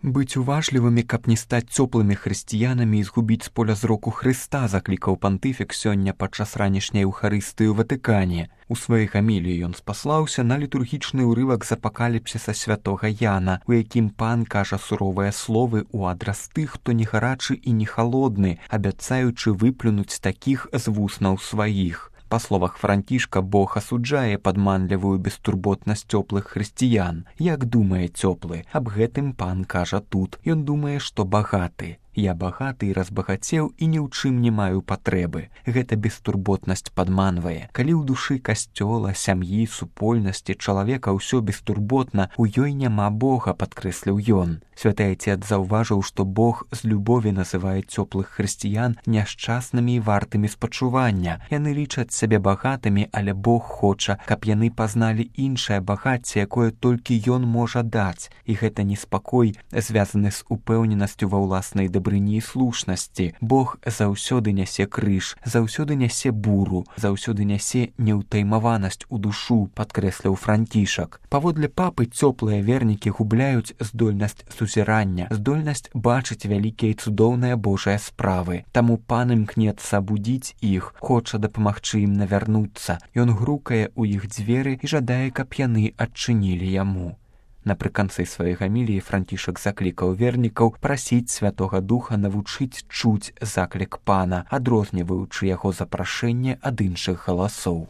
Быць уважлівымі, каб не стаць цёплымі хрысціянамі і згубіць з поля зроку Хрыста, заклікаў пантыфік сёння падчас ранішняй эўхарыстыі ў Ватыкане. У сваёй гаміліі ён спаслаўся на літургічны ўрывак з апакаліпсіса святога Яна, у якім пан кажа суровыя словы ў адрас тых, хто не гарачы і не халодны, абяцаючы выплюнуць такіх з вуснаў сваіх. Па словах Францішка, Бог асуджае падманлівую бестурботнасць цёплых хрысціян. Як думае цёплы? Аб гэтым пан кажа тут. Ён думае, што багаты. Я багаты і разбагацеў і ні ў чым не маю патрэбы. Гэта бестурботнасць падманвае. Калі ў душы касцёла, сям'і, супольнасці, чалавека ўсё бестурботна, у ёй няма Бога, падкрэсліў ён. Святы Айцец заўважыў, што Бог з любові называе цёплых хрысціян няшчаснымі і вартымі спачування. Яны лічаць сябе багатымі, але Бог хоча, каб яны пазналі іншае багацце, якое толькі ён можа даць. І гэта неспакой, звязаны з упэўненасцю ва ўласнай дабрыні і слушнасці. Бог заўсёды нясе крыж, заўсёды нясе буру, заўсёды нясе неўтаймаванасць у душу, падкрэсліў Францішак. Паводле папы цёплыя вернікі губляюць здольнасць сузірання, здольнасць бачыць вялікія і цудоўныя Божыя справы. Таму пан імкнецца абудзіць іх, хоча дапамагчы ім навярнуцца. Ён грукае ў іх дзверы і жадае, каб яны адчынілі яму. Напрыканцы сваёй гаміліі Францішак заклікаў вернікаў прасіць Святога Духа навучыць чуць заклік пана, адрозніваючы яго запрашэнне ад іншых галасоў.